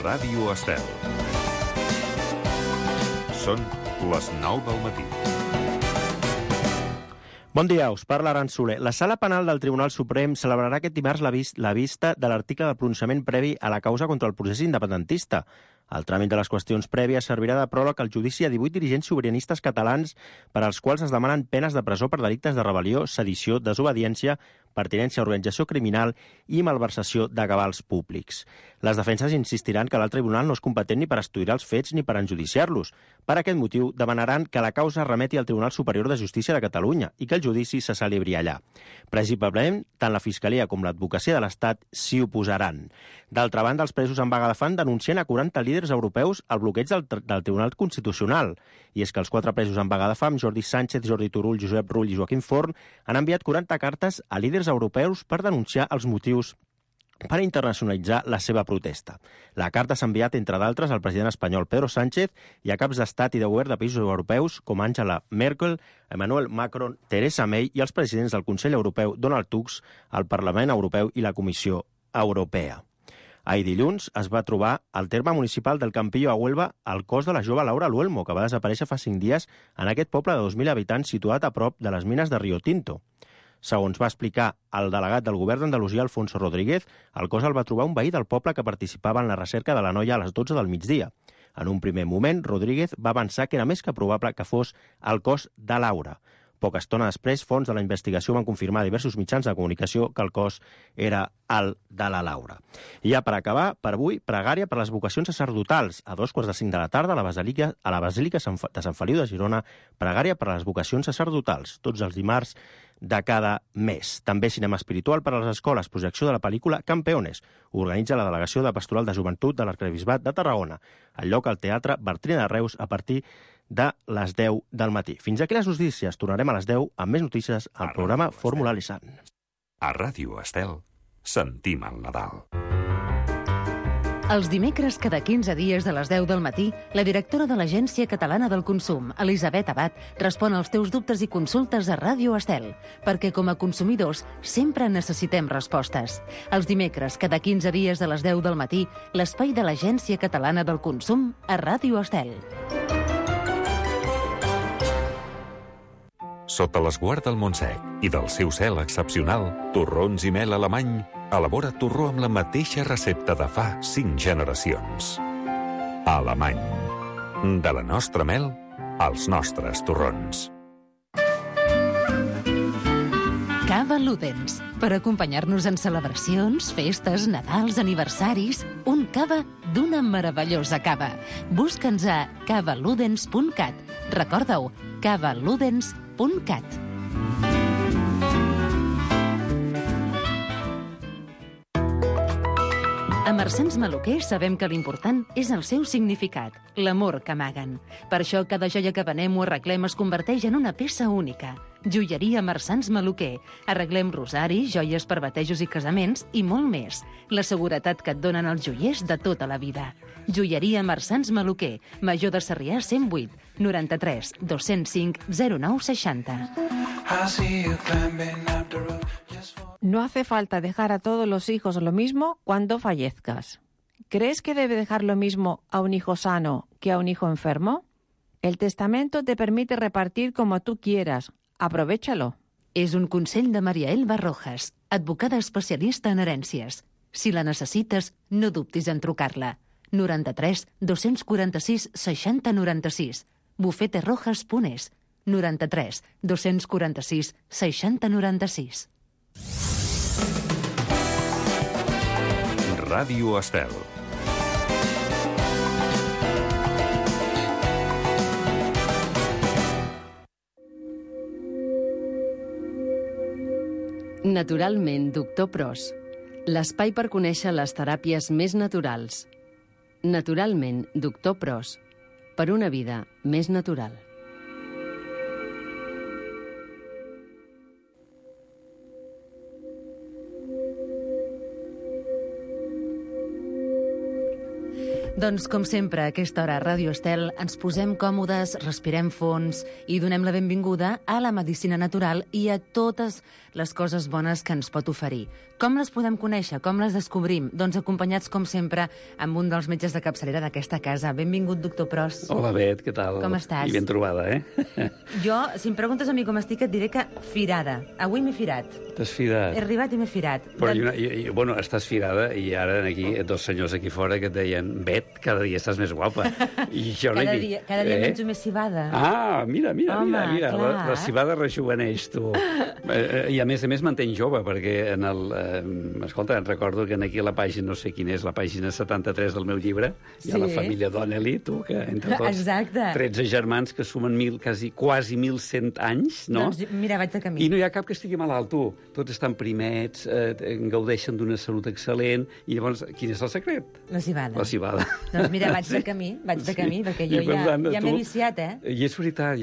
Ràdio Estel. Són les 9 del matí. Bon dia, us parla Aran Soler. La Sala Penal del Tribunal Suprem celebrarà aquest dimarts la vista de l'article de pronunciament previ a la causa contra el procés independentista. El tràmit de les qüestions prèvies servirà de pròleg al judici a 18 dirigents sobiranistes catalans per als quals es demanen penes de presó per delictes de rebel·lió, sedició, desobediència, pertinença a organització criminal i malversació de cabals públics. Les defenses insistiran que l'alt tribunal no és competent ni per estudiar els fets ni per enjudiciar-los. Per aquest motiu, demanaran que la causa remeti al Tribunal Superior de Justícia de Catalunya i que el judici se celebri allà. Principalment, tant la Fiscalia com l'Advocacia de l'Estat s'hi oposaran. D'altra banda, els presos en vaga de fam denuncien a 40 líders europeus el bloqueig del Tribunal Constitucional. I és que els 4 presos en vaga de fam, Jordi Sánchez, Jordi Turull, Josep Rull i Joaquim Forn, han enviat 40 cartes a líders europeus per denunciar els motius per internacionalitzar la seva protesta. La carta s'ha enviat, entre d'altres, al president espanyol Pedro Sánchez i a caps d'estat i de govern de països europeus com Angela Merkel, Emmanuel Macron, Theresa May i els presidents del Consell Europeu Donald Tusk, el Parlament Europeu i la Comissió Europea. Ahir dilluns es va trobar al terme municipal del Campillo a Huelva el cos de la jove Laura Luelmo, que va desaparèixer fa 5 dies en aquest poble de 2.000 habitants situat a prop de les mines de Rio Tinto. Segons va explicar el delegat del govern d'Andalusia, Alfonso Rodríguez, el cos el va trobar un veí del poble que participava en la recerca de la noia a les 12 del migdia. En un primer moment, Rodríguez va avançar que era més que probable que fos el cos de Laura. Poca estona després, fonts de la investigació van confirmar a diversos mitjans de comunicació que el cos era el de la Laura. I ja per acabar, per avui, pregària per les vocacions sacerdotals. A 2:45 de la tarda, a la Basílica de Sant Feliu de Girona, pregària per a les vocacions sacerdotals, tots els dimarts de cada mes. També cinema espiritual per a les escoles, projecció de la pel·lícula Campeones. Organitza la Delegació de Pastoral de Joventut de l'Arquebisbat de Tarragona. El lloc al Teatre Bartrina de Reus a partir de les 10 del matí. Fins aquí les notícies. Tornarem a les 10 amb més notícies al programa Fórmula Lisan. A Ràdio Estel sentim el Nadal. Els dimecres, cada 15 dies de les 10 del matí, la directora de l'Agència Catalana del Consum, Elisabet Abad, respon als teus dubtes i consultes a Ràdio Estel, perquè com a consumidors sempre necessitem respostes. Els dimecres, cada 15 dies de les 10 del matí, l'espai de l'Agència Catalana del Consum a Ràdio Estel. Sota l'esguard del Montsec i del seu cel excepcional, torrons i mel alemany, elabora torró amb la mateixa recepta de fa 5 generacions. Alemany. De la nostra mel, als nostres torrons. Cava Ludens. Per acompanyar-nos en celebracions, festes, Nadals, aniversaris, un cava d'una meravellosa cava. Busca'ns a cavaludens.cat. Recorda-ho, cavaludens.cat. A Marsans Maluquer sabem que l'important és el seu significat, l'amor que amaguen. Per això cada joia que venem o arreglem es converteix en una peça única. Joieria Marsans Maluquer. Arreglem rosaris, joies per batejos i casaments i molt més. La seguretat que et donen els joiers de tota la vida. Joieria Marsans Maluquer. Major de Sarrià 108 93 205 0960. No hace falta dejar a todos los hijos lo mismo cuando fallezcas. ¿Crees que debe dejar lo mismo a un hijo sano que a un hijo enfermo? El testamento te permite repartir como tú quieras. Aprovéchalo. És un consell de Maria Elba Rojas, advocada especialista en herències. Si la necessites, no dubtis en trucar-la. 93 246 60 96. bufeterojas.es. 93 246 60 96. Ràdio Estel. Naturalment, Doctor Pros. L'espai per conèixer les teràpies més naturals. Naturalment, Doctor Pros. Per una vida més natural. Doncs, com sempre, a aquesta hora a Ràdio Estel ens posem còmodes, respirem fons i donem la benvinguda a la medicina natural i a totes les coses bones que ens pot oferir. Com les podem conèixer? Com les descobrim? Doncs acompanyats, com sempre, amb un dels metges de capçalera d'aquesta casa. Benvingut, doctor Pros. Hola, Bet, què tal? Com estàs? I ben trobada, Jo, si em preguntes a mi com estic, et diré que firada. Avui m'he firat. T'has firat? He arribat i m'he firat. Però, bueno, estàs firada i ara aquí, dos senyors aquí fora que et deien Bet, cada dia estàs més guapa. I jo cada dia menjo més cibada. Ah, mira, Home, la cibada rejuveneix, tu. I a més mantén jove, perquè en el... escolta, recordo que aquí a la pàgina, no sé quina és, la pàgina 73 del meu llibre, hi ha la família Donnelly, tu, que entre tots... Exacte. 13 germans que sumen quasi 1.100 anys, no? Doncs mira, vaig de camí. I no hi ha cap que estigui malalt, tu. Tots estan primets, gaudeixen d'una salut excel·lent, i llavors, quin és el secret? La cibada. La cibada. Doncs mira, vaig de camí, perquè jo ja m'he viciat, I és veritat,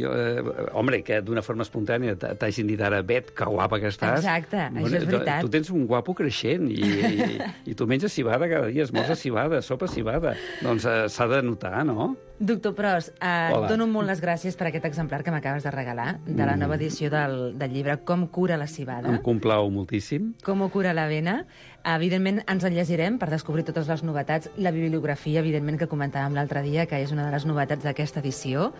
home, que d'una forma espontània t'hagin dit ara, Bet, que guapa que estàs. Exacte, això és veritat. Tu tens un guapo creixent i tu menges cibada cada dia, esmorzes cibada, sopa cibada. Doncs s'ha de notar, no? Doctor Pros, et dono molt les gràcies per aquest exemplar que m'acabes de regalar, de la nova edició del llibre Com cura la cibada. Em complau moltíssim. Com cura l'avena. Evidentment, ens el llegirem per descobrir totes les novetats. La bibliografia, evidentment, que comentàvem l'altre dia, que és una de les novetats d'aquesta edició.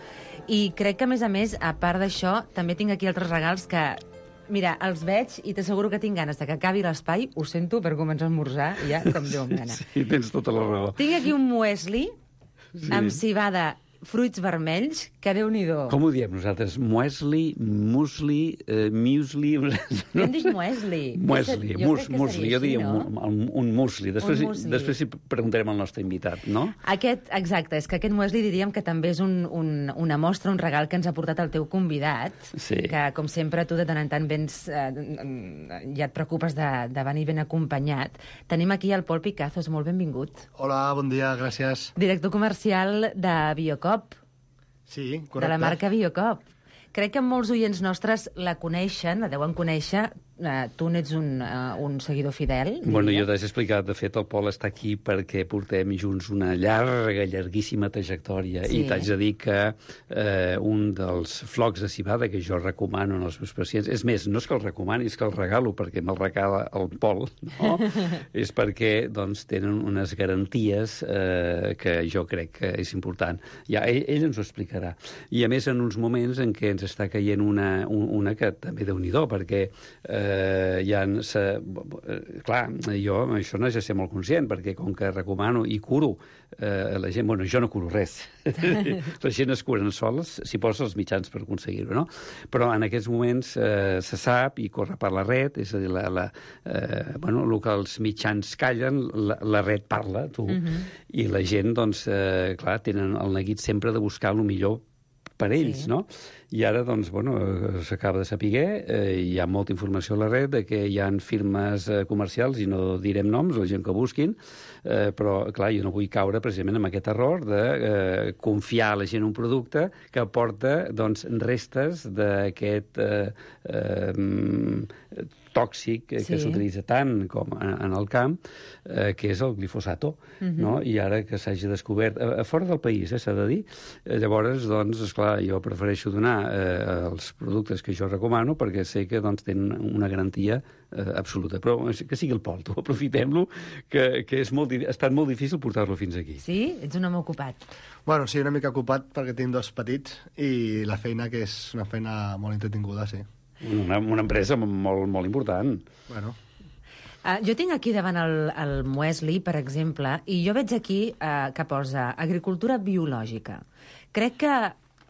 I crec que, a més, a part d'això, també tinc aquí altres regals que... Mira, els veig i t'asseguro que tinc ganes de que acabi l'espai, ho sento, per començar a esmorzar, ja com Déu em gana. Sí, tens tota la raó. Tinc aquí un muesli amb cibada, fruits vermells, que Déu-n'hi-do. Com ho diem nosaltres? Muesli, musli, muesli... Jo hem dit muesli. Musli, jo diria un musli. Després hi preguntarem al nostre invitat, no? Exacte, és que aquest muesli diríem que també és una mostra, un regal que ens ha portat el teu convidat, que, com sempre, tu de tant en tant vens, ja et preocupes de venir ben acompanyat. Tenim aquí el Pol Picazos, molt benvingut. Hola, bon dia, gràcies. Director comercial de Biocop. Sí, correcte. De la marca Biocop. Crec que molts oients nostres la coneixen, la deuen conèixer. Tu n'ets un seguidor fidel. Bueno, jo t'haig explicat. De fet, el Pol està aquí perquè portem junts una llarguíssima trajectòria. I t'haig de dir que un dels flocs de cibada que jo recomano als meus pacients, és més, no és que el recomani, és que el regalo, perquè me'l regala el Pol, no? És perquè doncs, tenen unes garanties que jo crec que és important. Ja, ell ens ho explicarà. I a més, en uns moments en què ens està caient una que també Déu-n'hi-do, perquè clar, jo això no és de ser molt conscient, perquè com que recomano i curo la gent, bueno, jo no curo res, la gent es curen sols si posa els mitjans per aconseguir-ho, no? Però en aquests moments se sap i corre per la red, és a dir, bueno, el que els mitjans callen, la red parla, tu, i la gent, doncs, clar, tenen el neguit sempre de buscar el millor per ells, no? I ara, doncs, bueno, s'acaba de saber, hi ha molta informació a la red de que hi ha firmes comercials, i no direm noms, la gent que busquin, però, clar, jo no vull caure precisament en aquest error de confiar a la gent un producte que aporta, doncs, restes d'aquest tòxic que s'utilitza tant com en el camp, que és el glifosato, no? I ara que s'hagi descobert, a fora del país, s'ha de dir, llavors, doncs, esclar, jo prefereixo donar els productes que jo recomano perquè sé que doncs, tenen una garantia absoluta. Però que sigui el Pol, tu, aprofitem-lo, que ha estat molt difícil portar-lo fins aquí. Sí? Ets un home ocupat. Bueno, sí, una mica ocupat perquè tinc dos petits i la feina, que és una feina molt entretinguda, sí. Una empresa molt, molt important. Bueno. Jo tinc aquí davant el muesli, per exemple, i jo veig aquí que posa agricultura biològica. Crec que,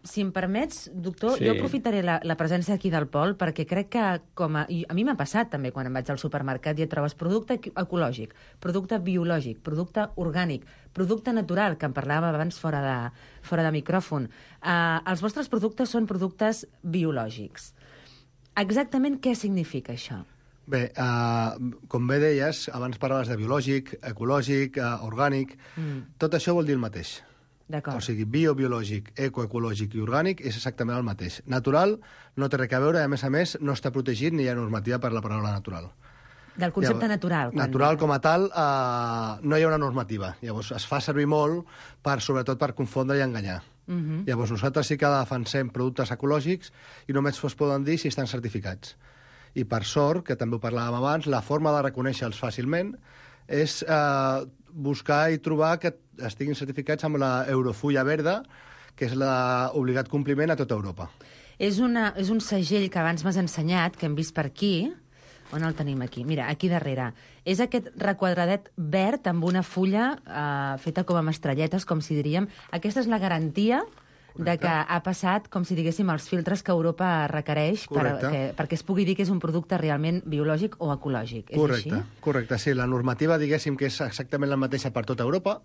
si em permets, doctor, jo aprofitaré la presència aquí del Pol, perquè crec que, a mi m'ha passat també quan em vaig al supermercat i et trobes producte ecològic, producte biològic, producte orgànic, producte natural, que en parlàvem abans fora de micròfon. Els vostres productes són productes biològics. Exactament què significa això? Bé, com bé deies, abans parlaves de biològic, ecològic, orgànic, tot això vol dir el mateix. D'acord. O sigui, biològic, ecoecològic i orgànic és exactament el mateix. Natural no té res a veure, a més, no està protegit ni hi ha normativa per la paraula natural. Del concepte natural. Natural com a tal, no hi ha una normativa. Llavors, es fa servir molt, sobretot per confondre i enganyar. Llavors, nosaltres sí que defensem productes ecològics i només es poden dir si estan certificats. I per sort, que també ho parlàvem abans, la forma de reconèixer-los fàcilment és buscar i trobar que estiguin certificats amb la Eurofulla Verda, que és l'obligat compliment a tota Europa. És un segell que abans m'has ensenyat, que hem vist per aquí. On el tenim aquí? Mira, aquí darrere. És aquest requadradet verd amb una fulla feta com amb estrelletes, com si diríem. Aquesta és la garantia de que ha passat, com si diguéssim, els filtres que Europa requereix perquè es pugui dir que és un producte realment biològic o ecològic. És així? Correcte, sí. La normativa, diguéssim, que és exactament la mateixa per tota Europa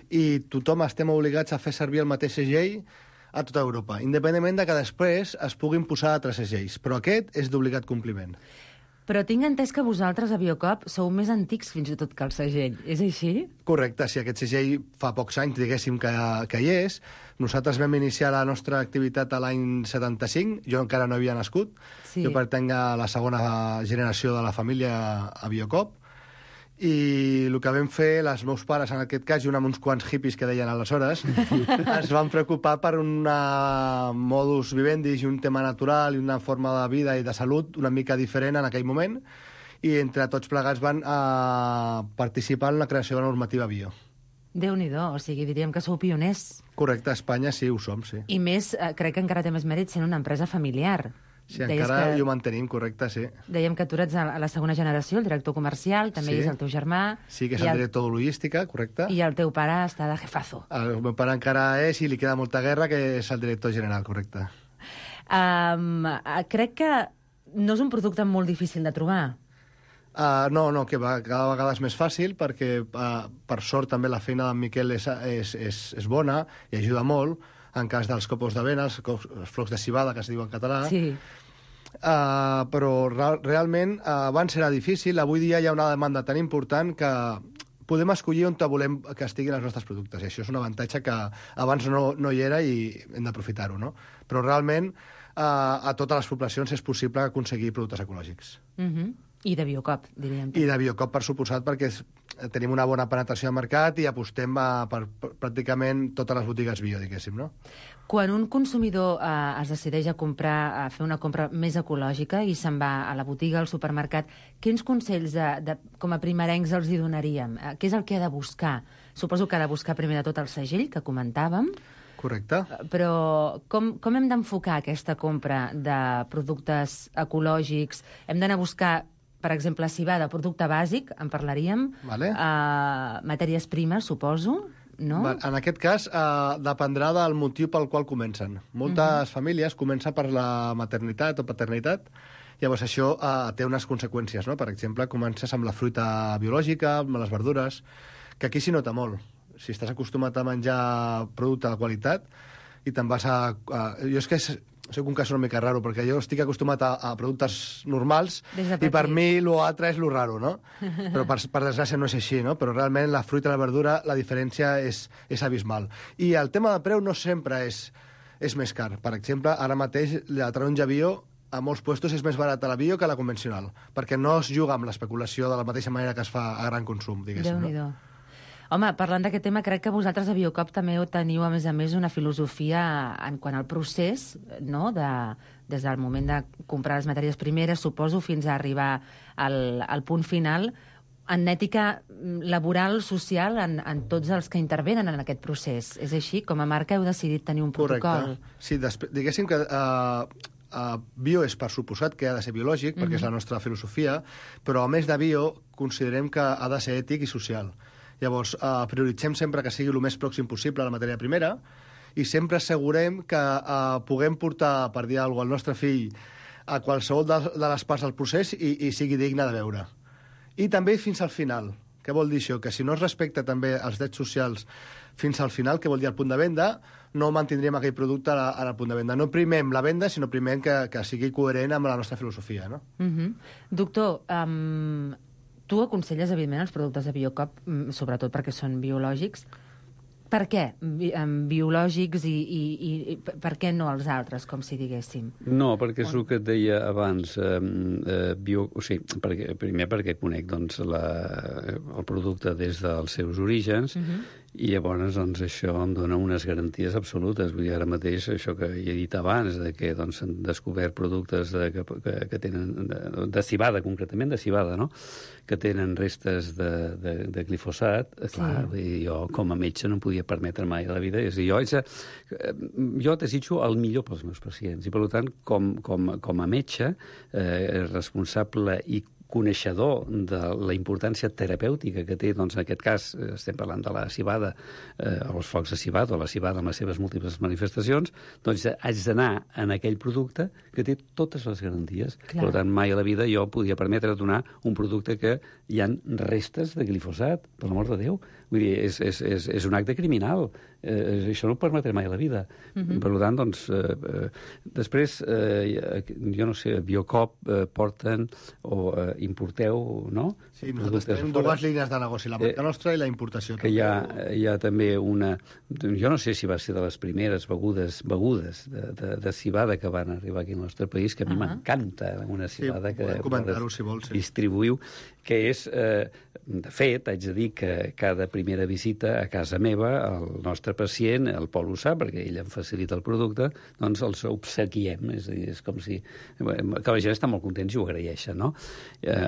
i tothom estem obligats a fer servir el mateix segell a tota Europa, independentment de que després es puguin posar altres segells. Però aquest és d'obligat compliment. Però tinc entès que vosaltres a Biocop sou més antics fins i tot que el segell. És així? Correcte, sí. Aquest segell fa pocs anys, diguéssim, que hi és. Nosaltres vam iniciar la nostra activitat a l'any 75. Jo encara no havia nascut. Sí. Jo pertenc a la segona generació de la família a Biocop. I el que vam fer, els meus pares, en aquest cas, junt amb uns quants hippies que deien aleshores, es van preocupar per un modus vivendi i un tema natural i una forma de vida i de salut una mica diferent en aquell moment, i entre tots plegats van participar en la creació de la normativa bio. Déu-n'hi-do, o sigui, diríem que sou pioners. Correcte, a Espanya sí, ho som, sí. I més, crec que encara té més mèrit sent una empresa familiar. Sí, encara ho mantenim, correcte, sí. Dèiem que tu ets a la segona generació, el director comercial, també és el teu germà. Sí, que és el director de logística, correcte. I el teu pare està de jefazo. El meu pare encara és, i li queda molta guerra, que és el director general, correcte. Crec que no és un producte molt difícil de trobar. No, que cada vegada és més fàcil, perquè per sort també la feina d'en Miquel és bona i ajuda molt, en cas dels copos d'avena, els flocs de civada, que es diu en català. Sí. Però realment abans era difícil, avui dia hi ha una demanda tan important que podem escollir on volem que estiguin els nostres productes, i això és un avantatge que abans no hi era i hem d'aprofitar-ho, no? Però realment a totes les poblacions és possible aconseguir productes ecològics. I de Biocop, diríem. I de Biocop, per suposat, perquè tenim una bona penetració de mercat i apostem per pràcticament totes les botigues bio, diguéssim, no? Quan un consumidor es decideix a fer una compra més ecològica i se'n va a la botiga, al supermercat, quins consells com a primerencs els hi donaríem? Què és el que ha de buscar? Suposo que ha de buscar primer de tot el segell, que comentàvem. Correcte. Però com hem d'enfocar aquesta compra de productes ecològics? Hem d'anar a buscar, per exemple, si va de producte bàsic, en parlaríem, matèries primes, suposo, no? En aquest cas, dependrà del motiu pel qual comencen. Moltes famílies comencen per la maternitat o paternitat, llavors això té unes conseqüències, no? Per exemple, comences amb la fruita biològica, amb les verdures, que aquí s'hi nota molt. Si estàs acostumat a menjar producte de qualitat i te'n vas jo és que soc un cas una mica raro, perquè jo estic acostumat a productes normals i per mi l'altre és lo raro, no? Però per desgràcia no és així, no? Però realment la fruita i la verdura, la diferència és abismal. I el tema de preu no sempre és més car. Per exemple, ara mateix la taronja bio a molts puestos és més barata la bio que la convencional, perquè no es juga amb l'especulació de la mateixa manera que es fa a gran consum, diguéssim. Déu-n'hi-do. Home, parlant d'aquest tema, crec que vosaltres a Biocop també teniu, a més, una filosofia en quant al procés, no?, des del moment de comprar les matèries primeres, suposo, fins a arribar al punt final, en ètica laboral, social, en tots els que intervenen en aquest procés. És així? Com a marca heu decidit tenir un protocol? Correcte. Sí, diguéssim que bio és per suposat que ha de ser biològic, perquè és la nostra filosofia, però a més de bio considerem que ha de ser ètic i social. Llavors, prioritzem sempre que sigui el més pròxim possible a la matèria primera i sempre assegurem que puguem portar, per dir alguna cosa, al nostre fill a qualsevol de les parts del procés i sigui digne de veure. I també fins al final. Què vol dir això? Que si no es respecta també els drets socials fins al final, que vol dir al punt de venda, no mantindríem aquell producte al punt de venda. No primem la venda, sinó primem que sigui coherent amb la nostra filosofia, no? Doctor, tu aconselles, evidentment, els productes de Biocop, sobretot perquè són biològics, Per què? Biològics i per què no els altres, com si diguéssim? No, perquè és el que et deia abans. Primer perquè conec doncs, el producte des dels seus orígens, i llavors doncs, això em dona unes garanties absolutes. Vull dir, ara mateix, això que he dit abans, de que doncs, s'han descobert productes que tenen, de civada, concretament de civada, no?, que tenen restes de glifosat. Clar, jo com a metge no em podia permetre mai a la vida. És a dir, jo desitjo el millor pels meus pacients i, per tant, com a metge responsable i coneixedor de la importància terapèutica que té, doncs, en aquest cas, estem parlant de la civada, o els flocs de civada, o la civada amb les seves múltiples manifestacions, doncs haig d'anar en aquell producte que té totes les garanties. Clar. Per tant, mai a la vida jo podia permetre donar un producte que hi ha restes de glifosat, per l'amor de Déu. Vull dir, és un acte criminal. Això no ho permetré mai a la vida. Per tant, doncs, després, jo no sé, Biocop porten o importeu, no? Sí, nosaltres tenim dues línies de negoci, la marca nostra i la importació. Que hi ha també una... Jo no sé si va ser de les primeres begudes de civada que van arribar aquí al nostre país, que a mi m'encanta una civada que distribuïu, que és... De fet, haig de dir que cada primera visita a casa meva, el nostre pacient, el Pol ho sap, perquè ell em facilita el producte, doncs els obsequiem. És a dir, és com si... Que la gent està molt contents i ho agraeixen, no?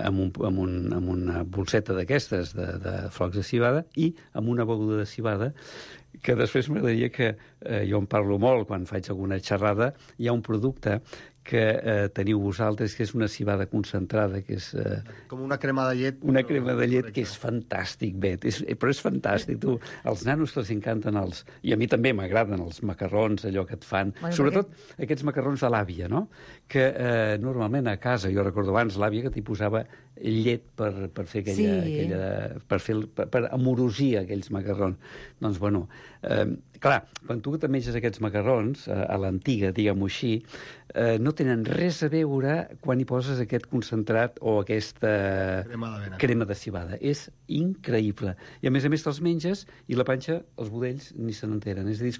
Amb una bolseta d'aquestes de flocs de civada i amb una beguda de civada que després m'agradaria que jo en parlo molt quan faig alguna xerrada. Hi ha un producte que teniu vosaltres, que és una civada concentrada, que és... Com una crema de llet. Una crema de llet que és fantàstic, Bet, però és fantàstic. Tu, els nanos que els encanten i a mi també m'agraden els macarrons, allò que et fan, sobretot aquests macarrons de l'àvia, no?, que normalment a casa, jo recordo abans, l'àvia que t'hi posava llet per fer per amorosir aquells macarrons. Doncs, bueno, clar, quan tu te menges aquests macarrons, a l'antiga, diguem-ho així, no tenen res a veure quan hi poses aquest concentrat o aquesta crema de civada. És increïble. I a més te'ls menges i la panxa, els budells, ni se n'enteren. És a dir, és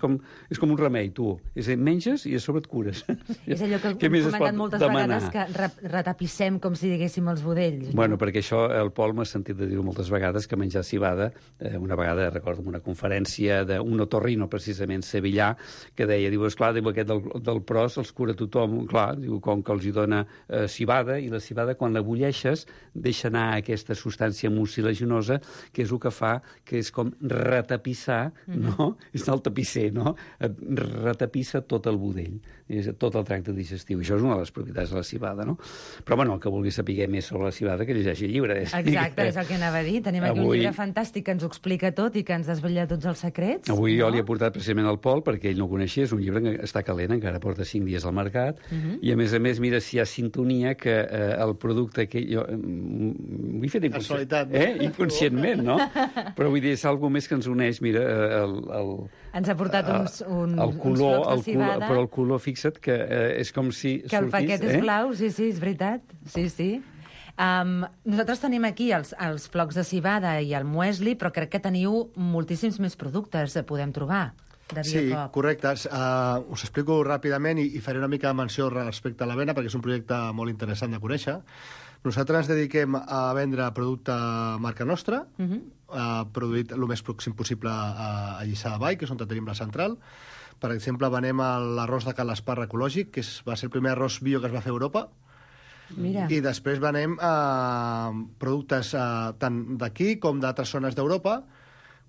com un remei, tu. És a dir, menges i a sobre et cures. És allò que hem comentat moltes vegades, que retapissem, com si diguéssim, els budells. Bueno, perquè això el Pol m'ha sentit de dir-ho moltes vegades, que menjar civada, una vegada, recordo, en una conferència d'un otorrino, precisament, sevillà, que deia, diu, esclar, aquest del pros els cura tothom, clar, diu, com que els hi dona civada, i la civada, quan la bulleixes, deixa anar aquesta substància mucilaginosa, que és el que fa, que és com retapissar, no? És el tapisser, no? Retapissa tot el budell, tot el tracte digestiu. Això és una de les propietats de la civada, no? Però, bueno, el que vulgui saber més sobre la civada, que llegeixi el llibre. Exacte, és el que anava a dir. Tenim aquí un llibre fantàstic que ens ho explica tot i que ens desvetlla tots els secrets. Avui jo li he portat precisament al Pol, perquè ell no ho coneixia, és un llibre que està calent, encara porta 5 dies al mercat, i a més, mira, si hi ha sintonia que el producte que jo... M'ho he fet inconscientment, no? Però vull dir, és alguna més que ens uneix, mira, ens ha portat uns color, flocs de civada. Però el color, fixa't, que és com si que el paquet és blau, sí, és veritat. Sí. Nosaltres tenim aquí els flocs de civada i el muesli, però crec que teniu moltíssims més productes que podem trobar. Sí, correcte. Us explico ràpidament i faré una mica de menció respecte a l'avena, perquè és un projecte molt interessant de conèixer. Nosaltres ens dediquem a vendre producte marca nostra, produït el més pròxim possible a Lliçà de Vall, que és on tenim la central. Per exemple, venem l'arròs de Can l'Esparra ecològic, que va ser el primer arròs bio que es va fer a Europa. Mira. I després venem productes tant d'aquí com d'altres zones d'Europa,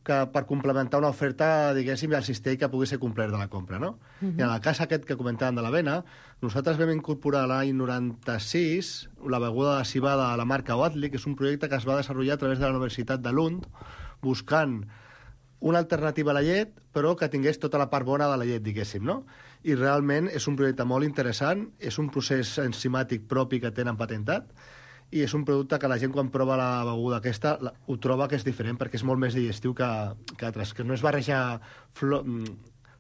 que per complementar una oferta, diguéssim, i el cistell que pugui ser complet de la compra, no? I en el cas aquest que comentàvem de l'avena, nosaltres vam incorporar l'any 96 la beguda de civada a la marca Oatly, que és un projecte que es va desenvolupar a través de la Universitat de Lund, buscant una alternativa a la llet, però que tingués tota la part bona de la llet, diguéssim, no? I realment és un projecte molt interessant, és un procés enzimàtic propi que tenen patentat, i és un producte que la gent quan prova la beguda aquesta ho troba que és diferent perquè és molt més digestiu que altres, que no es barreja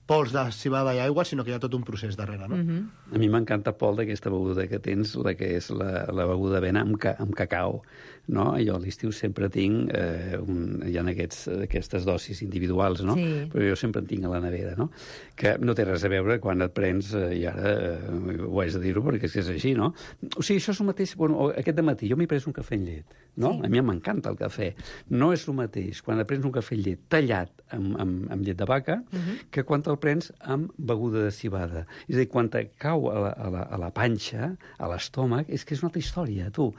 pols de civada i aigua, sinó que hi ha tot un procés darrere, no? A mi m'encanta, Pol, d'aquesta beguda que tens, la que és la beguda d'avena amb cacau, no? Jo a l'estiu sempre tinc, hi ha aquestes dosis individuals, no? Sí. Però jo sempre en tinc a la nevera, no? Que no té res a veure quan et prens, i ara ho haig de dir-ho perquè és així, no? O sigui, això és el mateix... Bueno, aquest dematí jo m'he pres un cafè amb llet, no? Sí. A mi m'encanta el cafè. No és el mateix quan et prens un cafè amb llet tallat amb llet de vaca que quan te'l prens amb beguda de civada. És a dir, quan te cau a la panxa, a l'estómac, és que és una altra història, tu.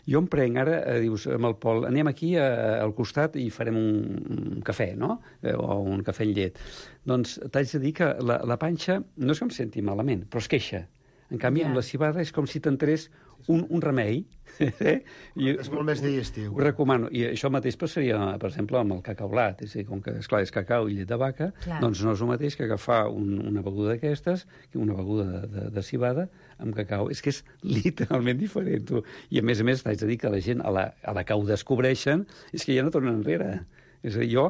Jo em prenc ara, dius, amb el Pol, anem aquí al costat i farem un cafè, no? O un cafè amb llet. Doncs t'haig de dir que la panxa no és que em senti malament, però es queixa. En canvi, amb la civada és com si t'entrés un remei. És molt més digestiu. Ho recomano. I això mateix passaria, per exemple, amb el cacau blat. És a dir, com que, esclar, és cacau i llet de vaca, doncs no és el mateix que agafar una beguda d'aquestes, una beguda de civada amb cacau. És que és literalment diferent, tu. I a més t'haig de dir que la gent, a la que ho descobreixen, és que ja no tornen enrere. És a dir, jo,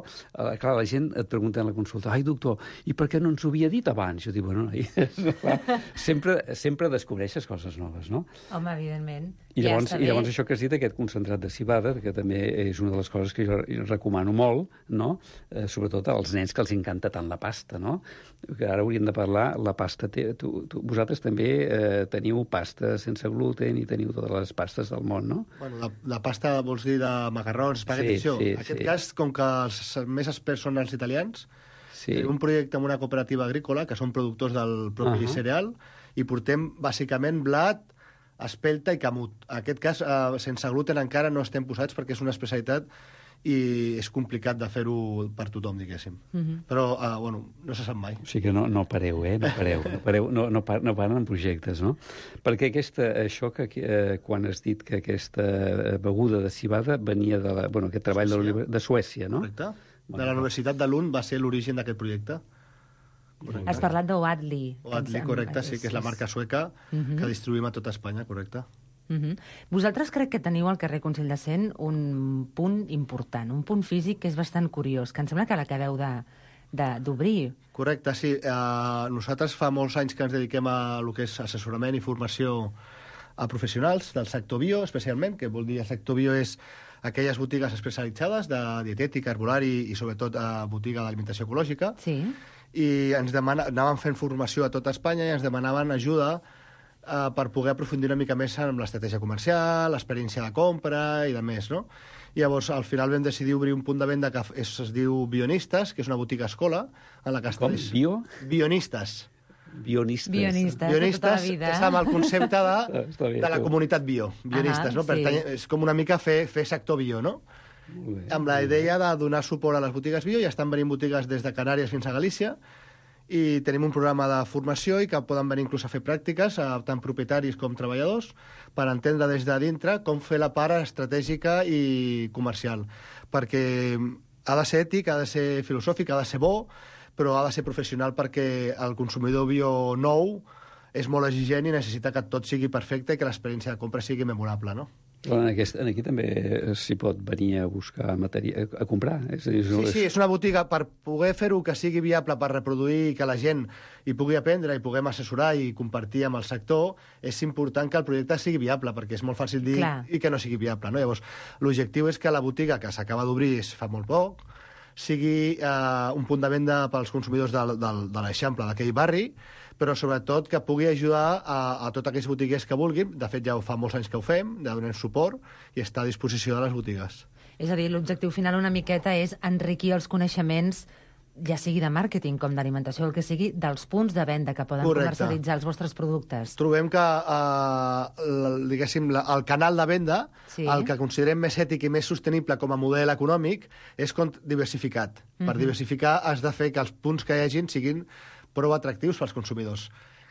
clar, la gent et pregunta en la consulta, ai, doctor, i per què no ens ho havia dit abans? Jo dic, bueno, sempre descobreixes coses noves, no? Home, evidentment. I llavors això que has dit, aquest concentrat de civada, que també és una de les coses que jo recomano molt, no? Sobretot als nens que els encanta tant la pasta, no? Que ara hauríem de parlar, la pasta... Vosaltres també teniu pasta sense gluten i teniu totes les pastes del món, no? Bueno, la pasta, vols dir, de macarrons, espaguetis, això. En aquest cas, com que els més experts són els italians, tenim un projecte amb una cooperativa agrícola, que són productors del propi cereal, i portem, bàsicament, blat, espelta i camut. En aquest cas, sense gluten encara no estem posats perquè és una especialitat i és complicat de fer-ho per tothom, diguéssim. Però, bueno, no se sap mai. O sigui que no pareu, no paren en projectes, no? Perquè això que quan has dit que aquesta beguda de civada venia aquest treball de Suècia, no? Correcte. De la Universitat de Lund va ser l'origen d'aquest projecte. Has parlat d'Oatly. Oatly, correcte, sí, que és la marca sueca que distribuïm a tota Espanya, correcte. Vosaltres crec que teniu al carrer Consell de Cent un punt important, un punt físic que és bastant curiós, que em sembla que l'acabeu d'obrir. Correcte, sí. Nosaltres fa molts anys que ens dediquem a el que és assessorament i formació a professionals del sector bio, especialment, que vol dir el sector bio és aquelles botigues especialitzades de dietètica, herbolari i sobretot botiga d'alimentació ecològica. Sí. I anàvem fent formació a tot Espanya i ens demanaven ajuda per poder aprofundir una mica més en l'estratègia comercial, l'experiència de compra i de més, no? I llavors, al final vam decidir obrir un punt de venda que es diu Bionistes, que és una botiga escola en la que Com? Bionistes. Bionistes. Bionistes és amb el concepte de la comunitat bio. Bionistes, no? Sí. És com una mica fer sector bio, no? Amb la idea de donar suport a les botigues bio, ja estan venint botigues des de Canàries fins a Galícia, i tenim un programa de formació i que poden venir inclús a fer pràctiques, tant propietaris com treballadors, per entendre des de dintre com fer la part estratègica i comercial. Perquè ha de ser ètic, ha de ser filosòfic, ha de ser bo, però ha de ser professional perquè el consumidor bio nou és molt exigent i necessita que tot sigui perfecte i que l'experiència de compra sigui memorable, no? Aquí també s'hi pot venir a buscar material, a comprar. Sí, és una botiga per poder fer-ho que sigui viable, per reproduir i que la gent hi pugui aprendre i puguem assessorar i compartir amb el sector. És important que el projecte sigui viable, perquè és molt fàcil dir i que no sigui viable, no? Llavors, l'objectiu és que la botiga que s'acaba d'obrir fa molt poc sigui un punt de venda pels consumidors de l'Eixample, d'aquell barri, però sobretot que pugui ajudar a tots aquells botiguers que vulguin. De fet, ja fa molts anys que ho fem, de donar suport i està a disposició de les botigues. És a dir, l'objectiu final una miqueta és enriquir els coneixements, ja sigui de màrqueting com d'alimentació, el que sigui, dels punts de venda que poden comercialitzar els vostres productes. Trobem que, diguéssim, el canal de venda, el que considerem més ètic i més sostenible com a model econòmic, és diversificat. Per diversificar has de fer que els punts que hi hagin siguin prou atractius pels consumidors.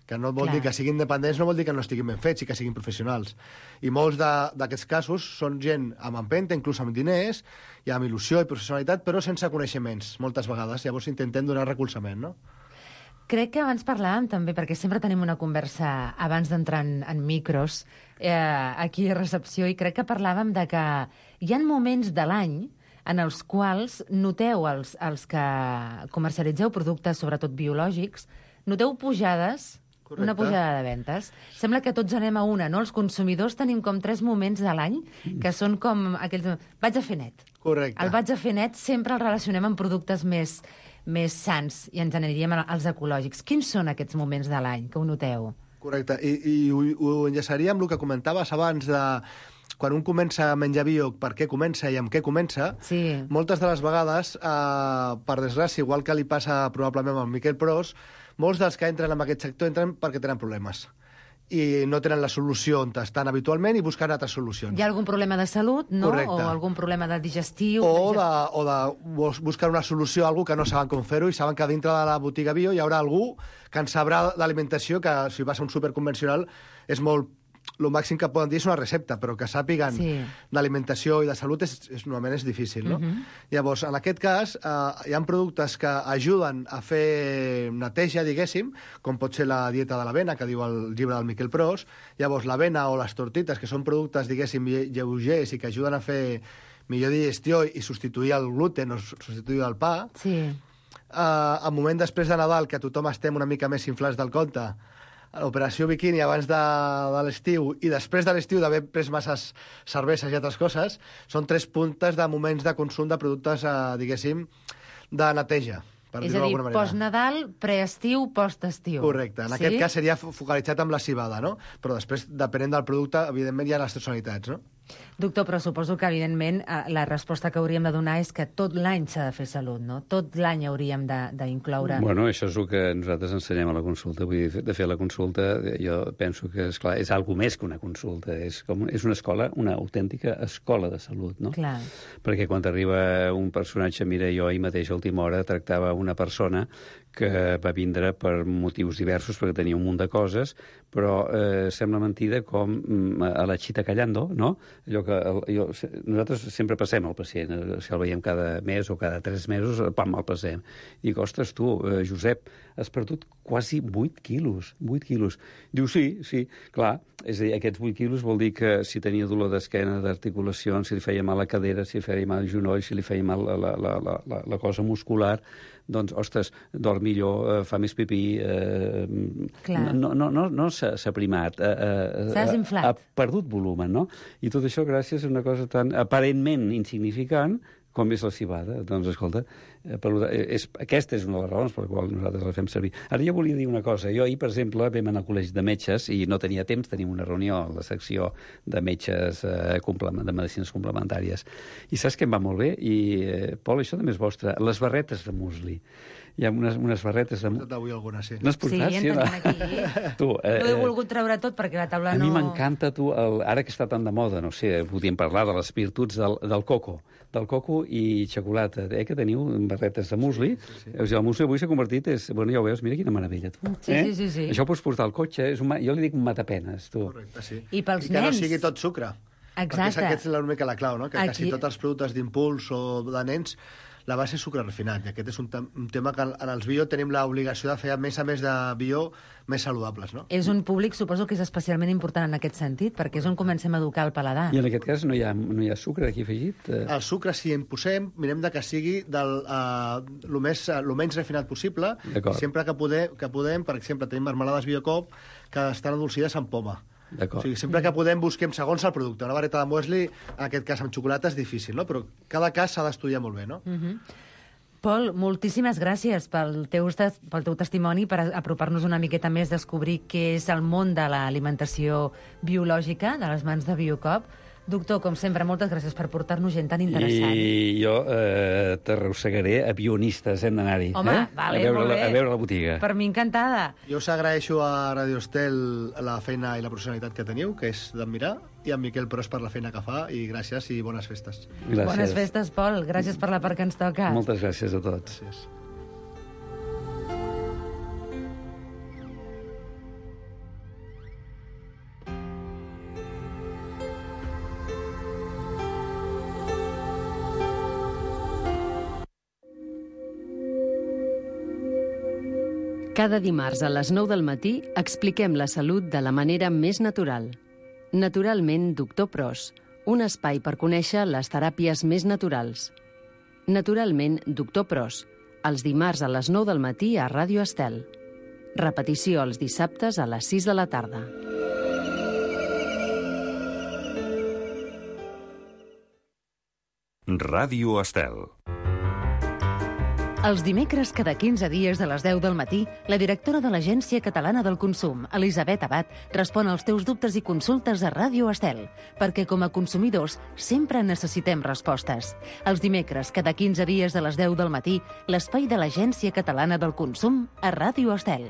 Que no vol dir que siguin independents, no vol dir que no estiguin ben fets i que siguin professionals. I molts d'aquests casos són gent amb empenta, inclús amb diners, i amb il·lusió i professionalitat, però sense coneixements, moltes vegades. Llavors intentem donar recolzament, no? Crec que abans parlàvem també, perquè sempre tenim una conversa abans d'entrar en micros, aquí a recepció, i crec que parlàvem de que hi ha moments de l'any en els quals noteu, els que comercialitzeu productes, sobretot biològics, noteu pujades, Correcte. una pujada de ventes. Sembla que tots anem a una, no? Els consumidors tenim com 3 moments de l'any que són com aquells... Vaig a fer net. Correcte. El vaig a fer net sempre el relacionem amb productes més sants i ens n'aniríem als ecològics. Quins són aquests moments de l'any que ho noteu? Correcte, i ho enllaçaria amb el que comentaves abans de quan un comença a menjar bio, per què comença i amb què comença. Sí. Moltes de les vegades, per desgràcia, igual que li passa probablement amb Miquel Pros, molts dels que entren en aquest sector entren perquè tenen problemes i no tenen la solució on estan habitualment i busquen altres solucions. Hi ha algun problema de salut, no? Correcte. O algun problema de digestiu? O de buscar una solució a algú que no saben com fer-ho i saben que dintre de la botiga bio hi haurà algú que en sabrà d'alimentació, que si vas a un superconvencional és molt... El màxim que poden dir és una recepta, però que sàpiguen d'alimentació i de salut normalment és difícil, no? Llavors, en aquest cas, hi ha productes que ajuden a fer neteja, diguéssim, com pot ser la dieta de l'avena, que diu el llibre del Miquel Pros. Llavors, l'avena o les tortites, que són productes, diguéssim, lleugers i que ajuden a fer millor digestió i substituir el gluten o substituir el pa. Sí. A moment després de Nadal, que tothom estem una mica més inflats del compte, l'operació biquini abans de l'estiu i després de l'estiu d'haver pres masses cerveses i altres coses, són 3 puntes de moments de consum de productes, diguéssim, de neteja, per És dir-ho a dir, d'alguna manera. post-Nadal, preestiu, post-estiu. Correcte. En aquest cas seria focalitzat amb la cibada, no? Però després, depenent del producte, evidentment hi ha les tonalitats, no? Doctor, però suposo que, evidentment, la resposta que hauríem de donar és que tot l'any s'ha de fer salut, no? Tot l'any hauríem d'incloure... Bueno, això és el que nosaltres ensenyem a la consulta. Vull dir, de fer la consulta, jo penso que, esclar, és algo més que una consulta. És una escola, una autèntica escola de salut, no? Clar. Perquè quan arriba un personatge, mira, jo ahir mateix a última hora tractava una persona que va vindre per motius diversos, perquè tenia un munt de coses, però sembla mentida com a la xita callando, no? Allò que nosaltres sempre passem al pacient, si el veiem cada mes o cada 3 mesos, pam, el passem. I dic, ostres, tu, Josep, has perdut quasi 8 quilos, 8 quilos. Diu, sí, clar, és a dir, aquests 8 quilos vol dir que si tenia dolor d'esquena, d'articulacions, si li feia mal la cadera, si li feia mal el genoll, si li feia mal la cosa muscular, doncs, ostres, dorm millor, fa més pipí... No s'ha primat. S'ha desinflat. Ha perdut volumen, no? I tot això gràcies a una cosa tan aparentment insignificant com és la cibada. Doncs, escolta, aquesta és una de les raons per la qual nosaltres la fem servir. Ara jo volia dir una cosa. Jo ahir, per exemple, vam anar al col·legi de metges i no tenia temps, tenim una reunió a la secció de metges de medicines complementàries. I saps què em va molt bé? I, Pol, això també és vostre. Les barretes de musli. Hi ha unes barretes de... Avui alguna, sí. No has portat? Sí, en tenim aquí. Tu, no he volgut treure tot perquè la taula no... no... A mi m'encanta, tu, ara que està tan de moda, no sé, podríem parlar de les virtuts del coco i xocolata, que teniu barretes de musli. Sí. El musli avui s'ha convertit... Bueno, ja ho veus, mira quina meravella, tu. Sí. Això ho pots portar al cotxe, jo li dic un matapenes, tu. Correcte, sí. I pels que nens. no sigui tot sucre. Exacte. Perquè aquesta és una mica la clau, no? Que aquí... quasi tots els productes d'impuls o de nens, la base és sucre refinat. I aquest és un tema que en els bio tenim l'obligació de fer, a més de bio, més saludables, no? És un públic, suposo que és especialment important en aquest sentit, perquè és on comencem a educar el paladar. I en aquest cas no hi ha sucre aquí afegit? El sucre, si en posem, mirem de que sigui el menys refinat possible. Sempre que podem, per exemple, tenim marmelades Biocop que estan adolcides amb poma. O sigui, sempre que podem busquem segons el producte. Una vareta de muesli, en aquest cas amb xocolata, és difícil, no? Però cada cas s'ha d'estudiar molt bé, no? Pol, moltíssimes gràcies pel teu testimoni, per apropar-nos una miqueta més, descobrir què és el món de l'alimentació biològica, de les mans de Biocop. Doctor, com sempre, moltes gràcies per portar-nos gent tan interessant. I jo t'arrossegaré a bionistes, hem d'anar-hi. Home, vale, molt bé. A veure la botiga. Per mi encantada. Jo us agraeixo a Radio Estel la feina i la professionalitat que teniu, que és d'admirar, i a Miquel Pros per la feina que fa, i gràcies i bones festes. Gràcies. Bones festes, Pol. Gràcies per la part que ens toca. Moltes gràcies a tots. Gràcies. Cada dimarts a les 9 del matí expliquem la salut de la manera més natural. Naturalment, Doctor Pros, un espai per conèixer les teràpies més naturals. Naturalment, Doctor Pros, els dimarts a les 9 del matí a Ràdio Estel. Repetició els dissabtes a les 6 de la tarda. Ràdio Estel. Els dimecres, cada 15 dies a les 10 del matí, la directora de l'Agència Catalana del Consum, Elisabet Abad, respon als teus dubtes i consultes a Ràdio Estel, perquè com a consumidors sempre necessitem respostes. Els dimecres, cada 15 dies a les 10 del matí, l'espai de l'Agència Catalana del Consum a Ràdio Estel.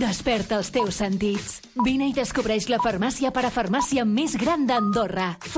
Desperta els teus sentits. Vine i descobreix la farmàcia parafarmàcia més gran d'Andorra.